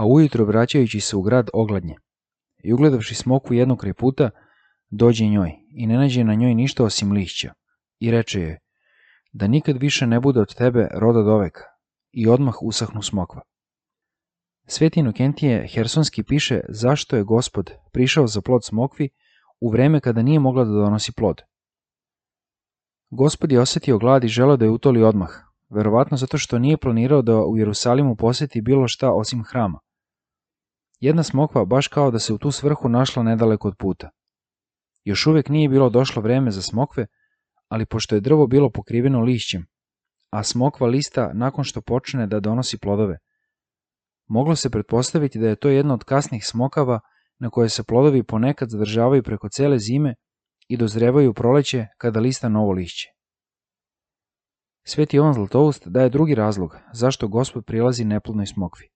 ujutro vraćajući se u grad ogladnje i ugledavši smokvu jedno kraj puta, dođe njoj i ne nađe na njoj ništa osim lišća i reče joj da nikad više ne bude od tebe roda doveka, i odmah usahnu smokva. Sveti Inokentije Hersonski piše zašto je Gospod prišao za plod smokvi u vreme kada nije mogla da donosi plod. Gospod je osetio glad i želeo da je utoli odmah, verovatno zato što nije planirao da u Jerusalimu poseti bilo šta osim hrama. Jedna smokva baš kao da se u tu svrhu našla nedaleko od puta. Još uvijek nije bilo došlo vreme za smokve, ali pošto je drvo bilo pokriveno lišćem, a smokva lista nakon što počne da donosi plodove, moglo se pretpostaviti da je to jedna od kasnih smokava na koje se plodovi ponekad zadržavaju preko cele zime i dozrevaju u proleće kada lista novo lišće. Sveti Jovan Zlatoust daje drugi razlog zašto Gospod prilazi neplodnoj smokvi.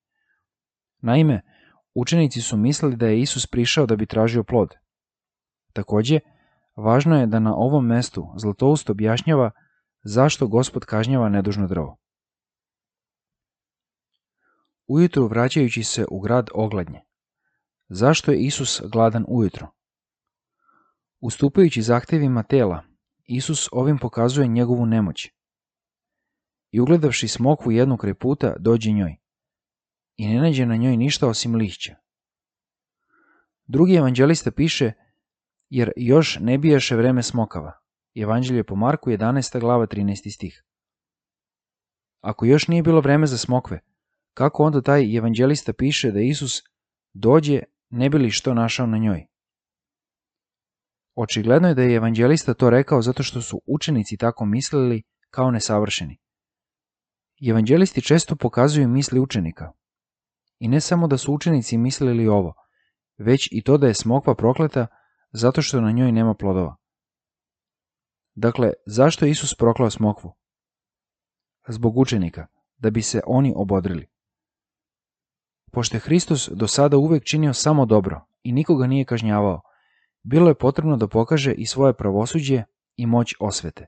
Naime, učenici su mislili da je Isus prišao da bi tražio plod. Takođe, važno je da na ovom mestu Zlatoust objašnjava zašto Gospod kažnjava nedužno drvo. Ujutru vraćajući se u grad ogladnje. Zašto je Isus gladan ujutro? Ustupajući zahtevima tela, Isus ovim pokazuje njegovu nemoć. I ugledavši smokvu jednu kraj puta, dođe njoj i ne nađe na njoj ništa osim lišća. Drugi evanđelista piše, jer još ne bijaše vreme smokava. Evanđelje po Marku 11. glava 13. stih. Ako još nije bilo vreme za smokve, kako onda taj evanđelista piše da Isus dođe ne bi li što našao na njoj? Očigledno je da je evanđelista to rekao zato što su učenici tako mislili kao nesavršeni. Evanđelisti često pokazuju misli učenika. I ne samo da su učenici mislili ovo, već i to da je smokva prokleta zato što na njoj nema plodova. Dakle, zašto je Isus proklao smokvu? Zbog učenika, da bi se oni obodrili. Pošto je Hristos do sada uvek činio samo dobro i nikoga nije kažnjavao, bilo je potrebno da pokaže i svoje pravosuđe i moć osvete.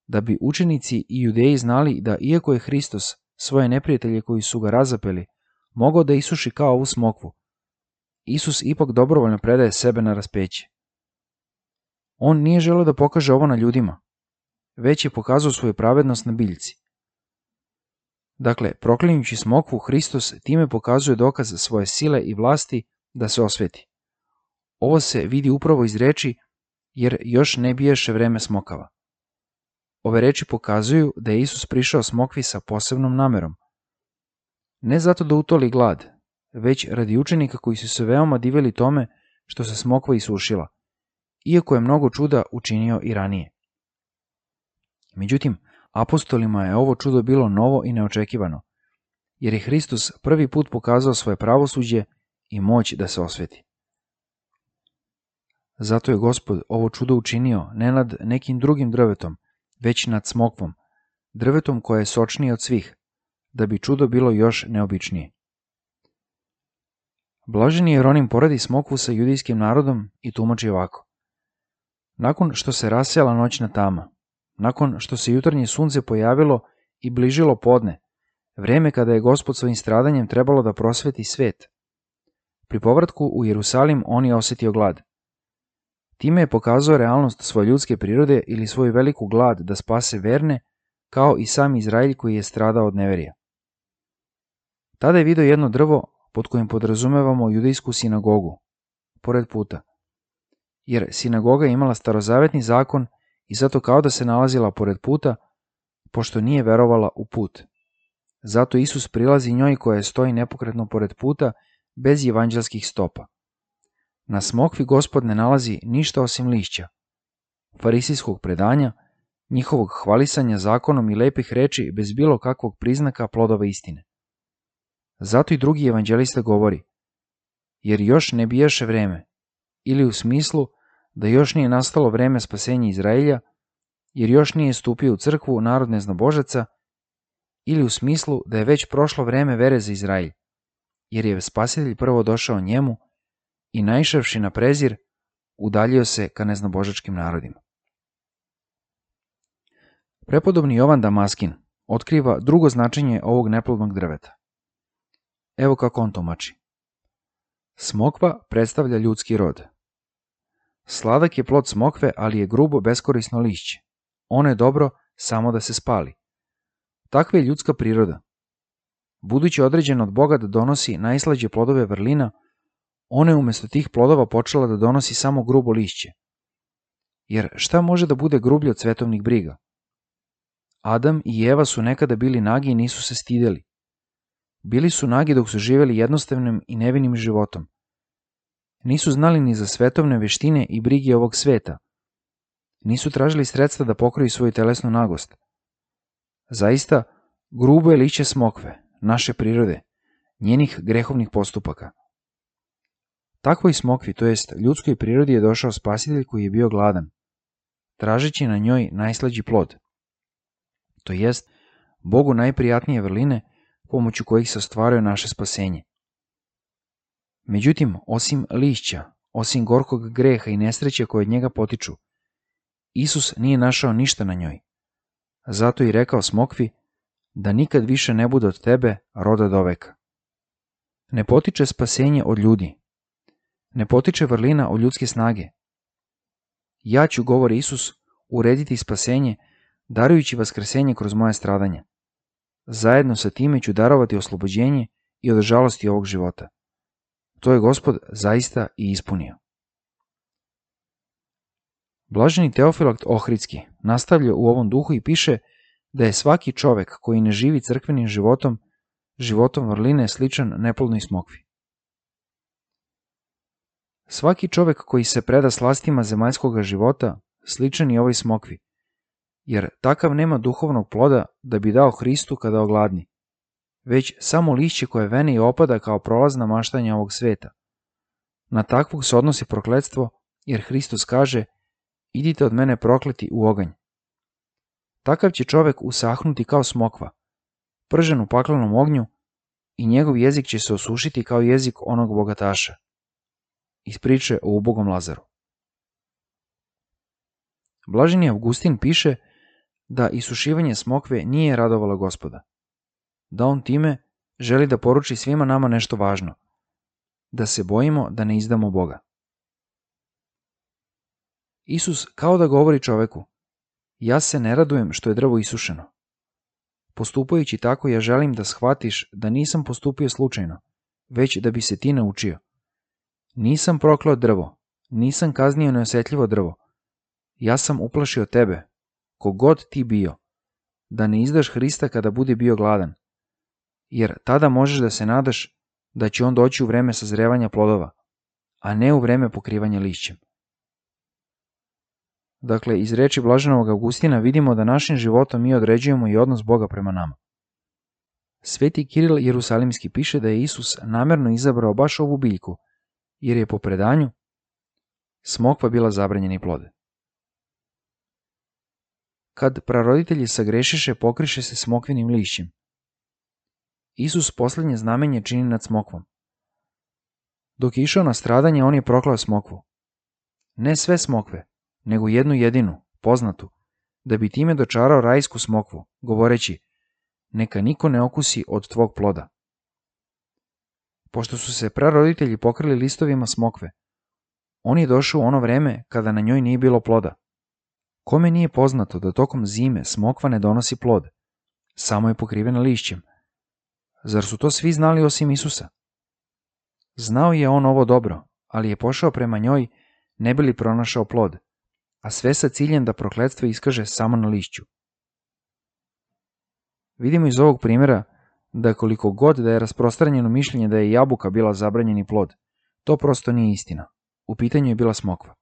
Da bi učenici i judeji znali da iako je Hristos svoje neprijatelje koji su ga razapeli mogao da isuši kao ovu smokvu, Isus ipak dobrovoljno predaje sebe na raspeće. On nije želeo da pokaže ovo na ljudima, već je pokazao svoju pravednost na biljci. Dakle, proklinjući smokvu, Hristos time pokazuje dokaz svoje sile i vlasti da se osveti. Ovo se vidi upravo iz reči, jer još ne bijaše vreme smokava. Ove reči pokazuju da je Isus prišao smokvi sa posebnom namerom. Ne zato da utoli glad, već radi učenika koji su se veoma divili tome što se smokva isušila, iako je mnogo čuda učinio i ranije. Međutim, apostolima je ovo čudo bilo novo i neočekivano, jer je Hristos prvi put pokazao svoje pravosuđe i moć da se osveti. Zato je Gospod ovo čudo učinio ne nad nekim drugim drvetom, već nad smokvom, drvetom koje je sočnije od svih, da bi čudo bilo još neobičnije. Blaženi Jeronim poredi smokvu sa judijskim narodom i tumači ovako. Nakon što se rasejala noćna tama, nakon što se jutarnje sunce pojavilo i bližilo podne, vreme kada je Gospod svojim stradanjem trebalo da prosveti svet, pri povratku u Jerusalim on je osetio glad. Time je pokazao realnost svoje ljudske prirode ili svoju veliku glad da spase verne, kao i sam Izraelj koji je stradao od neverija. Tada je video jedno drvo pod kojim podrazumevamo judejsku sinagogu, pored puta, jer sinagoga je imala starozavetni zakon i zato kao da se nalazila pored puta, pošto nije verovala u put. Zato Isus prilazi njoj koja stoji nepokretno pored puta, bez evanđelskih stopa. Na smokvi Gospod ne nalazi ništa osim lišća, farisijskog predanja, njihovog hvalisanja zakonom i lepih reči bez bilo kakvog priznaka plodova istine. Zato i drugi evanđelista govori, jer još ne bijaše vreme, ili u smislu da još nije nastalo vreme spasenja Izraelja, jer još nije stupio u crkvu narod neznobožaca, ili u smislu da je već prošlo vreme vere za Izraelj, jer je spasitelj prvo došao njemu i naišavši na prezir, udaljio se ka neznobožačkim narodima. Prepodobni Jovan Damaskin otkriva drugo značenje ovog neplodnog drveta. Evo kako on tumači. Smokva predstavlja ljudski rod. Sladak je plod smokve, ali je grubo beskorisno lišće. Ono je dobro samo da se spali. Takva je ljudska priroda. Budući određen od Boga da donosi najslađe plodove vrlina, ona je umjesto tih plodova počela da donosi samo grubo lišće. Jer šta može da bude grublje od svetovnih briga? Adam i Eva su nekada bili nagi i nisu se stidjeli. Bili su nagi dok su živjeli jednostavnim i nevinim životom. Nisu znali ni za svetovne veštine i brige ovog sveta. Nisu tražili sredstva da pokriju svoju telesnu nagost. Zaista, grubo je lišće smokve, naše prirode, njenih grehovnih postupaka. Takvoj smokvi, to jest ljudskoj prirodi, je došao spasitelj koji je bio gladan, tražeći na njoj najslađi plod, to jest Bogu najprijatnije vrline pomoću kojih se ostvaruje naše spasenje. Međutim, osim lišća, osim gorkog greha i nesreće koje od njega potiču, Isus nije našao ništa na njoj. Zato i rekao smokvi da nikad više ne bude od tebe roda do veka. Ne potiče spasenje od ljudi. Ne potiče vrlina od ljudske snage. Ja ću, govori Isus, urediti spasenje, darujući vaskrsenje kroz moje stradanje. Zajedno sa time ću darovati oslobođenje i od žalosti ovog života. To je Gospod zaista i ispunio. Blaženi Teofilakt Ohridski nastavlja u ovom duhu i piše da je svaki čovek koji ne živi crkvenim životom, životom vrline, sličan neplodnoj smokvi. Svaki čovek koji se preda slastima zemaljskog života, sličan je ovoj smokvi, jer takav nema duhovnog ploda da bi dao Hristu kada ogladni, već samo lišće koje vene i opada kao prolazna maštanja ovog sveta. Na takvog se odnosi prokletstvo, jer Hristos kaže: idite od mene prokleti u oganj. Takav će čovek usahnuti kao smokva, pržen u paklenom ognju, i njegov jezik će se osušiti kao jezik onog bogataša. Iz priče o ubogom Lazaru. Blaženi Avgustin piše da isušivanje smokve nije radovalo Gospoda, da on time želi da poruči svima nama nešto važno, da se bojimo da ne izdamo Boga. Isus kao da govori čoveku: ja se ne radujem što je drvo isušeno. Postupajući tako, ja želim da shvatiš da nisam postupio slučajno, već da bi se ti naučio. Nisam prokleo drvo, nisam kaznio neosjetljivo drvo. Ja sam uplašio tebe, kogod ti bio, da ne izdaš Hrista kada bude bio gladan, jer tada možeš da se nadaš da će on doći u vreme sazrevanja plodova, a ne u vreme pokrivanja lišćem. Dakle, iz reči blaženog Avgustina vidimo da našim životom mi određujemo i odnos Boga prema nama. Sveti Kiril Jerusalimski piše da je Isus namerno izabrao baš ovu biljku, jer je po predanju smokva bila zabranjeni plod. Kad praroditelji sagrešiše, pokriše se smokvinim lišćem. Isus posljednje znamenje čini nad smokvom. Dok je išao na stradanje, on je proklao smokvu. Ne sve smokve, nego jednu jedinu, poznatu, da bi time dočarao rajsku smokvu, govoreći: neka niko ne okusi od tvog ploda. Pošto su se praroditelji pokrili listovima smokve, on je došao u ono vreme kada na njoj nije bilo ploda. Kome nije poznato da tokom zime smokva ne donosi plod, samo je pokrivena lišćem? Zar su to svi znali osim Isusa? Znao je on ovo dobro, ali je pošao prema njoj ne bi li pronašao plod, a sve sa ciljem da prokletstvo iskaže samo na lišću. Vidimo iz ovog primjera da koliko god da je rasprostranjeno mišljenje da je jabuka bila zabranjeni plod, to prosto nije istina. U pitanju je bila smokva.